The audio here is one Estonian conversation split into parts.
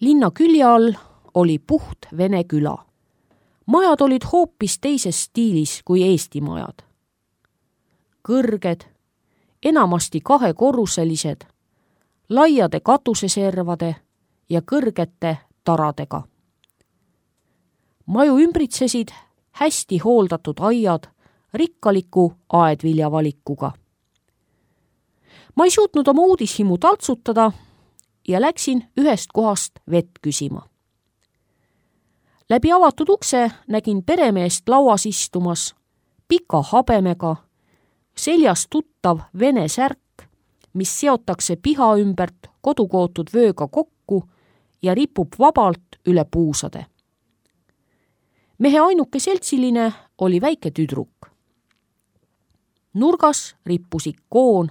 Linna külje all oli puht vene küla. Majad olid hoopis teises stiilis kui Eesti majad. Kõrged, enamasti kahekorruselised, laiade katuseservade ja kõrgete taradega. Maju ümbritsesid hästi hooldatud aiad rikkaliku aedviljavalikuga. Ma ei suutnud oma uudishimu taltsutada ja läksin ühest kohast vett küsima. Läbi avatud ukse nägin peremeest lauas istumas, pika habemega, seljas tuttav vene särk, mis seotakse piha ümbert kodukootud vööga kokku ja ripub vabalt üle puusade. Mehe ainuke seltsiline oli väike tüdruk. Nurgas rippus ikoon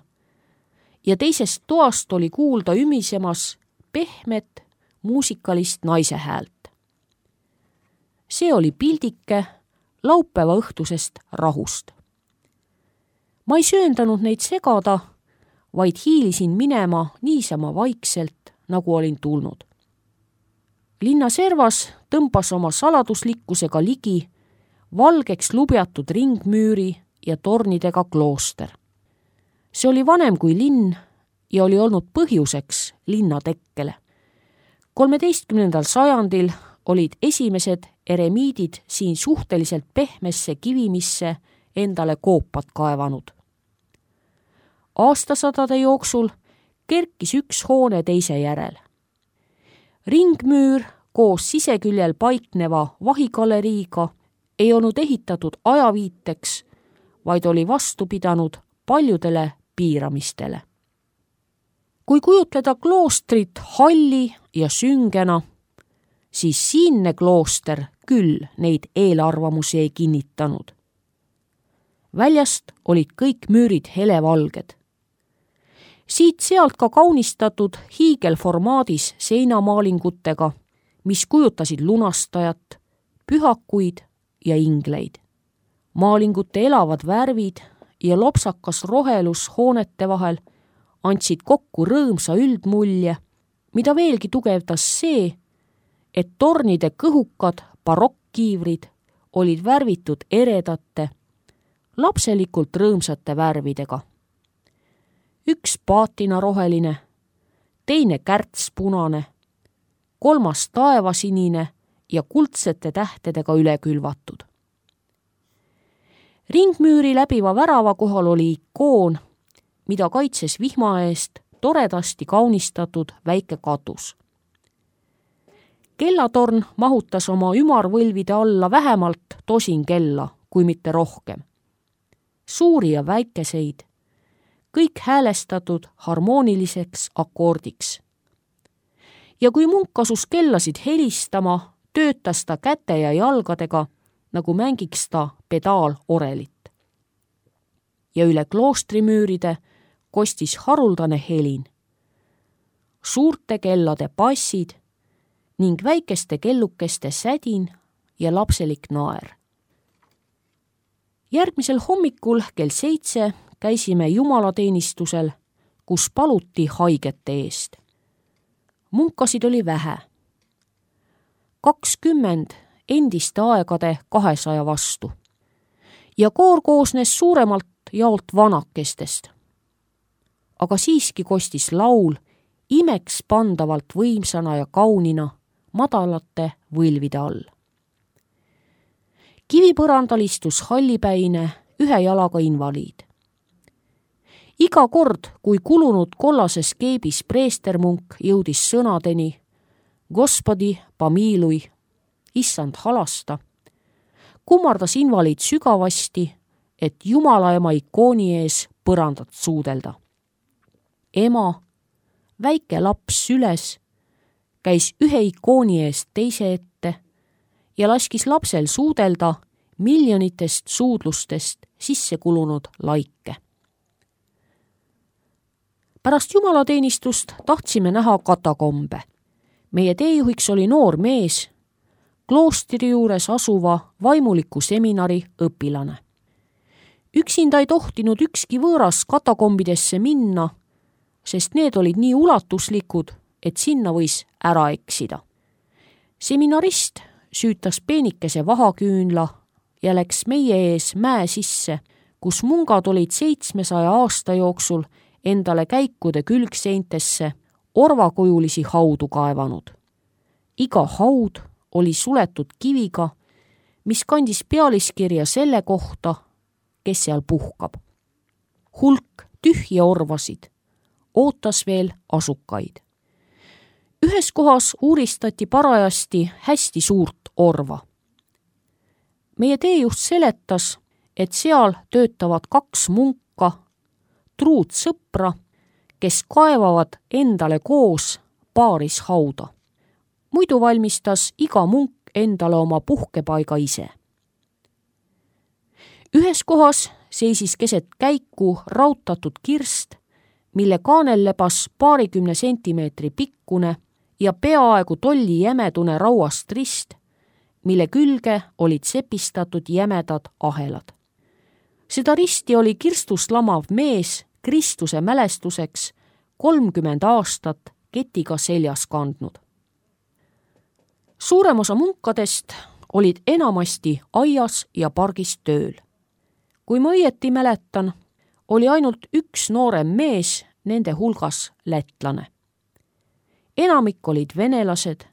ja teisest toast oli kuulda ümisemas pehmet muusikalist naise häält. See oli pildike laupäeva õhtusest rahust. Ma ei sööndanud neid segada, vaid hiilisin minema niisama vaikselt, nagu olin tulnud. Linna servas tõmbas oma saladuslikkusega ligi valgeks lubjatud ringmüüri ja tornidega klooster. See oli vanem kui linn ja oli olnud põhjuseks linna tekkele. 13. sajandil olid esimesed eremiidid siin suhteliselt pehmesse kivimisse endale koopad kaevanud. Aastasadade jooksul kerkis üks hoone teise järel. Ringmüür koos siseküljel paikneva vahigaleriiga ei olnud ehitatud ajaviiteks, vaid oli vastu pidanud paljudele piiramistele. Kui kujutleda kloostrit halli ja süngena, siis siinne klooster küll neid eelarvamusi ei kinnitanud. Väljast olid kõik müürid helevalged. Siit-sealt ka kaunistatud hiigelformaadis seinamaalingutega, mis kujutasid lunastajat, pühakuid ja ingleid. Maalingute elavad värvid ja lopsakas rohelus hoonete vahel andsid kokku rõõmsa üldmulje, mida veelgi tugevdas see, et tornide kõhukad barokkiivrid olid värvitud eredate, lapselikult rõõmsate värvidega. Üks paatinaroheline, teine kärtspunane, kolmas taevasinine ja kuldsete tähtedega üle külvatud. Ringmüüri läbiva värava kohal oli ikoon, mida kaitses vihma eest toredasti kaunistatud väike katus. Kellatorn mahutas oma ümarvõlvide alla vähemalt tosin kella, kui mitte rohkem. Suuri ja väikeseid, kõik häälestatud harmooniliseks akordiks. Ja kui munk asus kellasid helistama, töötas ta käte ja jalgadega, nagu mängiks ta pedaalorelit. Ja üle kloostrimüüride kostis haruldane helin. Suurte kellade passid ning väikeste kellukeste sädin ja lapselik naer. Järgmisel hommikul kell 7 käisime jumalateenistusel, kus paluti haigete eest. Munkasid oli vähe. 20 endiste aegade 200 vastu. Ja koor koosnes suuremalt jaolt vanakestest. Aga siiski kostis laul imeks pandavalt võimsana ja kaunina madalate võlvide all. Kivipõrandal istus hallipäine ühe jalaga invaliid. Iga kord, kui kulunud kollases keebis preestermunk jõudis sõnadeni Gospodi pamiilui, issand halasta, kummardas invaliid sügavasti, et Jumala ema ikooni ees põrandat suudelda. Ema, väike laps süles, käis ühe ikooni eest teise ette ja laskis lapsel suudelda miljonitest suudlustest sisse kulunud laike. Pärast jumalateenistust tahtsime näha katakombe. Meie teejuhiks oli noor mees, kloostri juures asuva vaimuliku seminari õpilane. Üksinda ei tohtinud ükski võõras katakombidesse minna, sest need olid nii ulatuslikud, et sinna võis ära eksida. Seminarist süütas peenikese vahaküünla ja läks meie ees mäe sisse, kus mungad olid 700 aasta jooksul endale käikude külgseintesse orvakujulisi haudu kaevanud. Iga haud oli suletud kiviga, mis kandis pealiskirja selle kohta, kes seal puhkab. Hulk tühje orvasid ootas veel asukaid. Ühes kohas uuristati parajasti hästi suurt orva. Meie teejuht seletas, et seal töötavad 2 munka, truud sõpra, kes kaevavad endale koos paaris hauda. Muidu valmistas iga munk endale oma puhkepaiga ise. Ühes kohas seisis keset käiku rautatud kirst, mille kaanel lebas 20 sentimeetri pikkune ja peaaegu tolli jämedune rauast rist, mille külge olid sepistatud jämedad ahelad. Seda risti oli kirstust lamav mees Kristuse mälestuseks 30 aastat ketiga seljas kandnud. Suurem osa munkadest olid enamasti aias ja pargis tööl. Kui ma õieti mäletan, oli ainult üks noorem mees nende hulgas lätlane. Enamik olid venelased,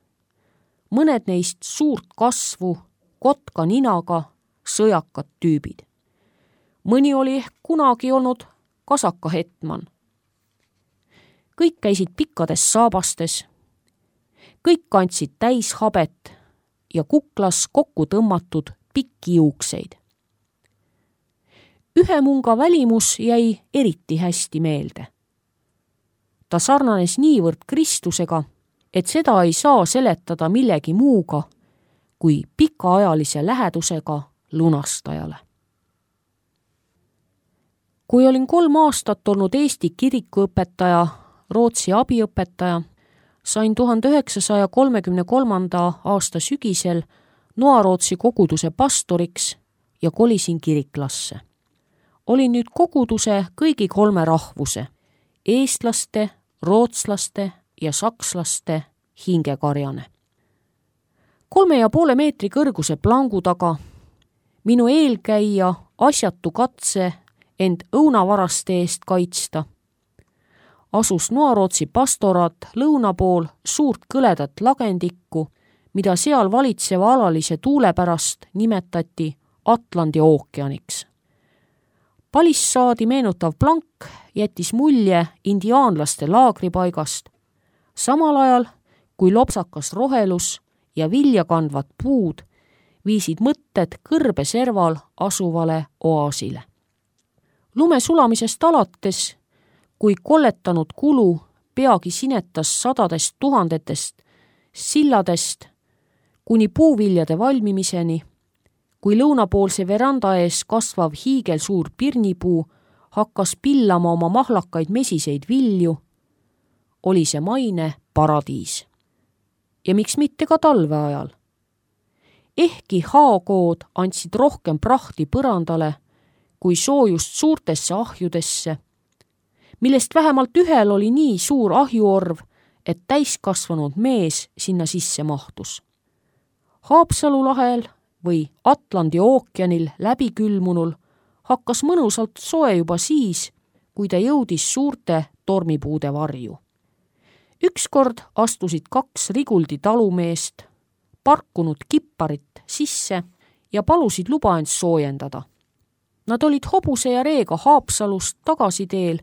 mõned neist suurt kasvu, kotka ninaga, sõjakad tüübid. Mõni oli ehk kunagi olnud kasaka hetman. Kõik käisid pikkades saabastes, kõik kandsid täis habet ja kuklas kokku tõmmatud pikki juukseid. Ühe munga välimus jäi eriti hästi meelde. Ta sarnanes niivõrd Kristusega, et seda ei saa seletada millegi muuga kui pikaajalise lähedusega lunastajale. Kui olin 3 aastat olnud Eesti kirikuõpetaja, Rootsi abiõpetaja, sain 1933. aasta sügisel Noa-Rootsi koguduse pastoriks ja kolisin kiriklasse. Olin nüüd koguduse kõigi 3 rahvuse, eestlaste, rootslaste ja sakslaste hingekarjane. 3,5 meetri kõrguse plangu taga, minu eelkäija asjatu katse end õunavaraste eest kaitsta, asus Noa-Rootsi pastoraat lõuna pool suurt kõledat lagendikku, mida seal valitseva alalise tuule pärast nimetati Atlandi ookeaniks. Palissaadi meenutav plank jättis mulje indiaanlaste laagripaigast, samal ajal kui lopsakas rohelus ja vilja kandvad puud viisid mõtted kõrbeserval asuvale oaasile. Lume sulamisest alates, kui kolletanud kulu peagi sinetas 100 000 silladest kuni puuviljade valmimiseni, kui lõunapoolse veranda ees kasvav hiigelsuur pirnipuu hakkas pillama oma mahlakaid mesiseid vilju, oli see maine paradiis. Ja miks mitte ka talve ajal. Ehkki haakood andsid rohkem prahti põrandale kui soojust suurtesse ahjudesse, millest vähemalt ühel oli nii suur ahjuorv, et täiskasvanud mees sinna sisse mahtus. Haapsalu lahel või Atlandi ookeanil läbikülmunul hakkas mõnusalt soe juba siis, kui ta jõudis suurte tormipuude varju. Ükskord astusid 2 Riguldi talumeest, parkunud kipparit sisse ja palusid luba end soojendada. Nad olid hobuse ja reega Haapsalust tagasiteel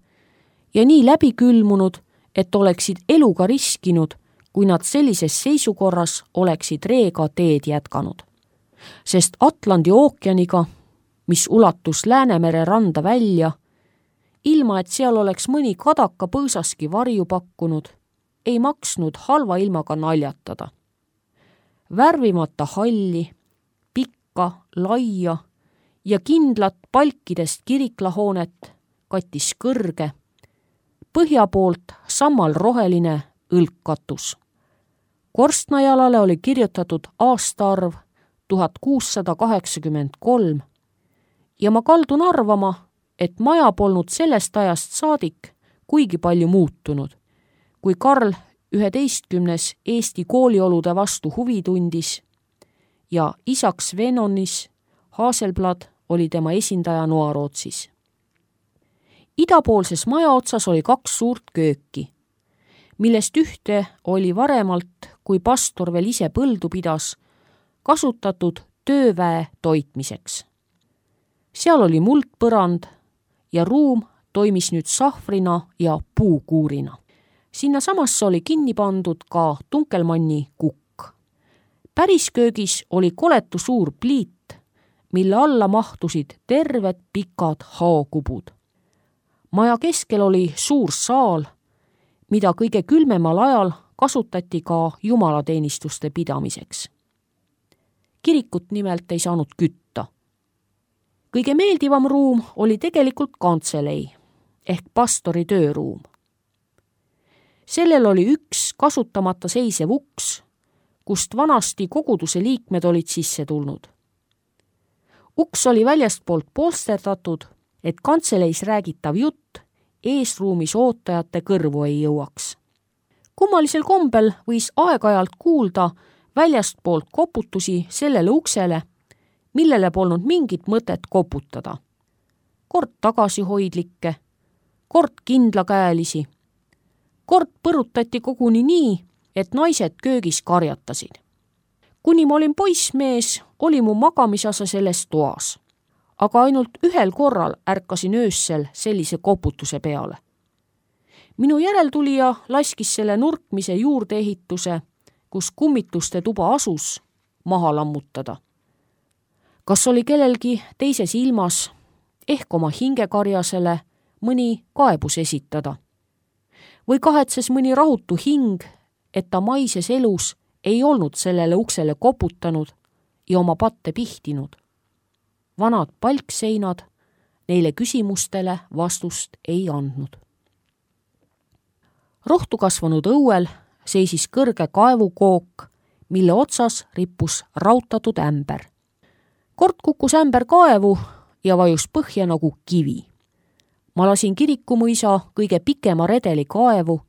ja nii läbikülmunud, et oleksid eluga riskinud, kui nad sellises seisukorras oleksid reega teed jätkanud. Sest Atlandi ookeaniga, mis ulatus Läänemere randa välja, ilma et seal oleks mõni kadaka põõsaski varju pakkunud, ei maksnud halva ilmaga naljatada. Värvimata halli, pikka, laia ja kindlat palkidest kiriklahoonet kattis kõrge, põhja poolt sammal roheline õlgkatus. Korstnajalale oli kirjutatud aastaarv 1683 ja ma kaldun arvama, et maja polnud sellest ajast saadik kuigi palju muutunud, kui Karl 11. Eesti kooliolude vastu huvi tundis ja isaks Venonis Haselblad oli tema esindaja Noarootsis. Idapoolses maja otsas oli 2 suurt kööki, millest ühte oli varemalt, kui pastor veel ise põldu pidas, kasutatud tööväe toitmiseks. Seal oli muldpõrand ja ruum toimis nüüd sahvrina ja puukuurina. Sinna samasse oli kinni pandud ka Tunkelmanni kukk. Pärisköögis oli koletu suur pliit, mille alla mahtusid terved pikad haokubud. Maja keskel oli suur saal, mida kõige külmemal ajal kasutati ka jumalateenistuste pidamiseks. Kirikut nimelt ei saanud kütta. Kõige meeldivam ruum oli tegelikult kantselei ehk pastori tööruum. Sellel oli üks kasutamata seisev uks, kust vanasti koguduse liikmed olid sisse tulnud. Uks oli väljastpoolt polsterdatud, et kantseleis räägitav jutt eesruumis ootajate kõrvu ei jõuaks. Kummalisel kombel võis aeg-ajalt kuulda väljastpoolt koputusi sellele uksele, millele polnud mingit mõtet koputada. Kord tagasihoidlikke, kord kindlakäelisi. Kord põrutati koguni nii, et naised köögis karjatasid. Kuni ma olin poissmees, oli mu magamisasa selles toas. Aga ainult ühel korral ärkasin öössel sellise koputuse peale. Minu järeltulija laskis selle nurkmise juurdeehituse, kus kummituste tuba asus, maha lammutada. Kas oli kellelgi teises ilmas, ehk oma hingekarjasele, mõni kaebus esitada? Või kahetses mõni rahutu hing, et ta maises elus ei olnud sellele uksele koputanud ja oma patte pihtinud? Vanad palkseinad neile küsimustele vastust ei andnud. Rohtu kasvanud õuel seisis kõrge kaevukook, mille otsas rippus rautatud ämber. Kord kukkus ämber kaevu ja vajus põhja nagu kivi. Ma lasin Kirikumõisa kõige pikema redeli kaevu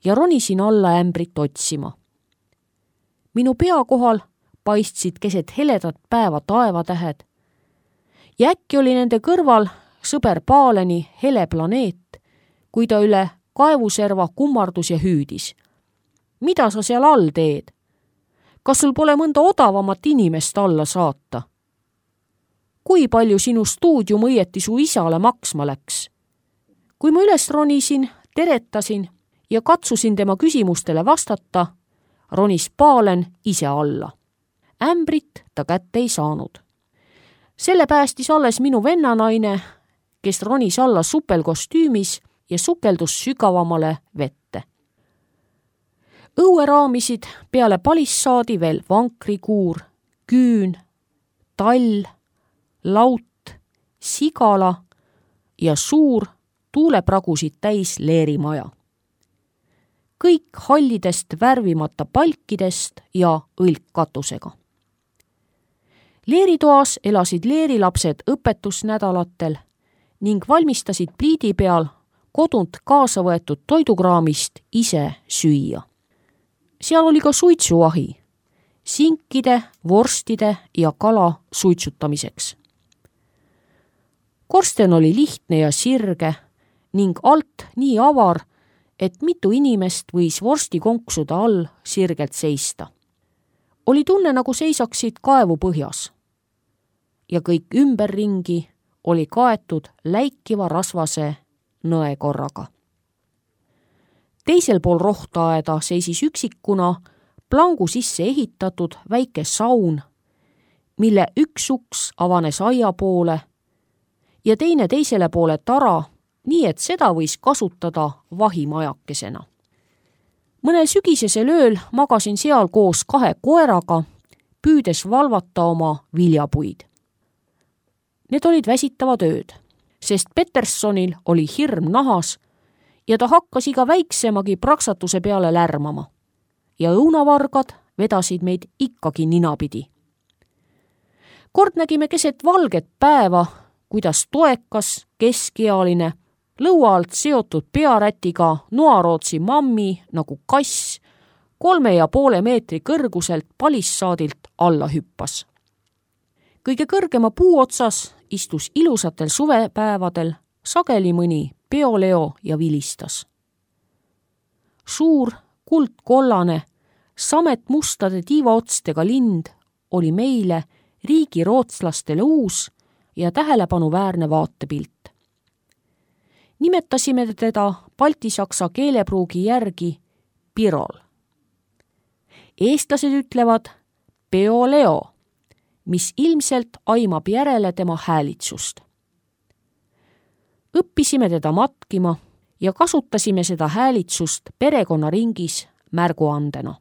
ja ronisin alla ämbrit otsima. Minu pea kohal paistsid keset heledat päeva taevatähed ja äkki oli nende kõrval sõber Paaleni hele planeet, kui ta üle kaevuserva kummardus ja hüüdis. Mida sa seal all teed? Kas sul pole mõnda odavamat inimest alla saata? Kui palju sinu stuudium õieti su isale maksma läks? Kui ma üles ronisin, teretasin ja katsusin tema küsimustele vastata, ronis Paalen ise alla. Ämbrit ta kätte ei saanud. Selle päästis alles minu vennanaine, kes ronis alla supelkostüümis ja sukeldus sügavamale vette. Õue raamisid peale palissaadi veel vankrikuur, küün, tall, laut, sigala ja suur tuulepragusid täis leerimaja. Kõik hallidest värvimata palkidest ja õlkkatusega. Leeritoas elasid leerilapsed õpetusnädalatel ning valmistasid pliidi peal kodunt kaasa võetud toidukraamist ise süüa. Seal oli ka suitsuahi, sinkide, vorstide ja kala suitsutamiseks. Korsten oli lihtne ja sirge ning alt nii avar, et mitu inimest võis vorstikonksude all sirgelt seista. Oli tunne, nagu seisaksid kaevu põhjas. Ja kõik ümberringi oli kaetud läikiva rasvase nõekorraga. Teisel pool rohtaeda seisis üksikuna plangu sisse ehitatud väike saun, mille üks uks avanes aia poole ja teine teisele poole tara, nii et seda võis kasutada vahimajakesena. Mõnel sügisesel ööl magasin seal koos 2 koeraga, püüdes valvata oma viljapuid. Need olid väsitavad ööd, sest Petersonil oli hirm nahas ja ta hakkas iga väiksemagi praksatuse peale lärmama. Ja õunavargad vedasid meid ikkagi ninapidi. Kord nägime keset valget päeva, kuidas toekas, keskealine, lõua alt seotud pearätiga Noarootsi mammi nagu kass 3,5 meetri kõrguselt palissaadilt alla hüppas. Kõige kõrgema puu otsas istus ilusatel suvepäevadel sageli mõni peoleo ja vilistas. Suur, kuldkollane, samet mustade tiivaotstega lind oli meile, riigi rootslastele uus ja tähelepanuväärne vaatepilt. Nimetasime teda baltisaksa keelepruugi järgi Pirol. Eestlased ütlevad peoleo, mis ilmselt aimab järele tema häälitsust. Õppisime teda matkima ja kasutasime seda häälitsust perekonnaringis märguandena.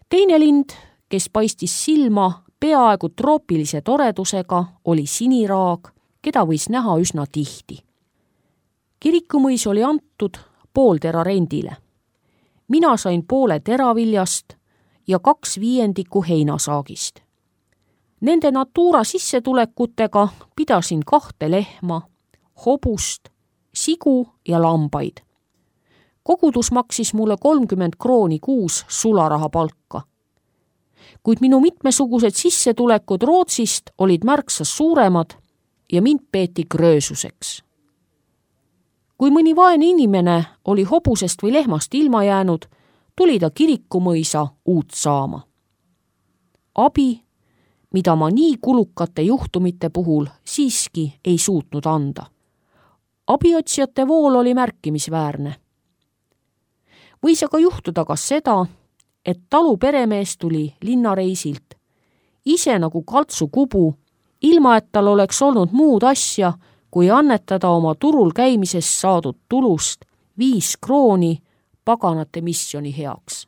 Teine lind, kes paistis silma peaaegu troopilise toredusega, oli siniraag, keda võis näha üsna tihti. Kirikumõis oli antud pooltera rendile. Mina sain poole teraviljast ja 2/5 heinasaagist. Nende Natura sissetulekutega pidasin 2 lehma, hobust, sigu ja lambaid. Kogudus maksis mulle 30 krooni kuus sularaha palka. Kuid minu mitmesugused sissetulekud Rootsist olid märksa suuremad ja mind peeti gröösuseks. Kui mõni vaene inimene oli hobusest või lehmast ilma jäänud, tuli ta Kirikumõisa uut saama. Abi, mida ma nii kulukate juhtumite puhul siiski ei suutnud anda. Abiotsijate vool oli märkimisväärne. Võis aga juhtuda ka seda, et talu peremees tuli linnareisilt, ise nagu kaltsukubu, ilma et tal oleks olnud muud asja, kui annetada oma turul käimisest saadud tulust 5 krooni paganate misjoni heaks.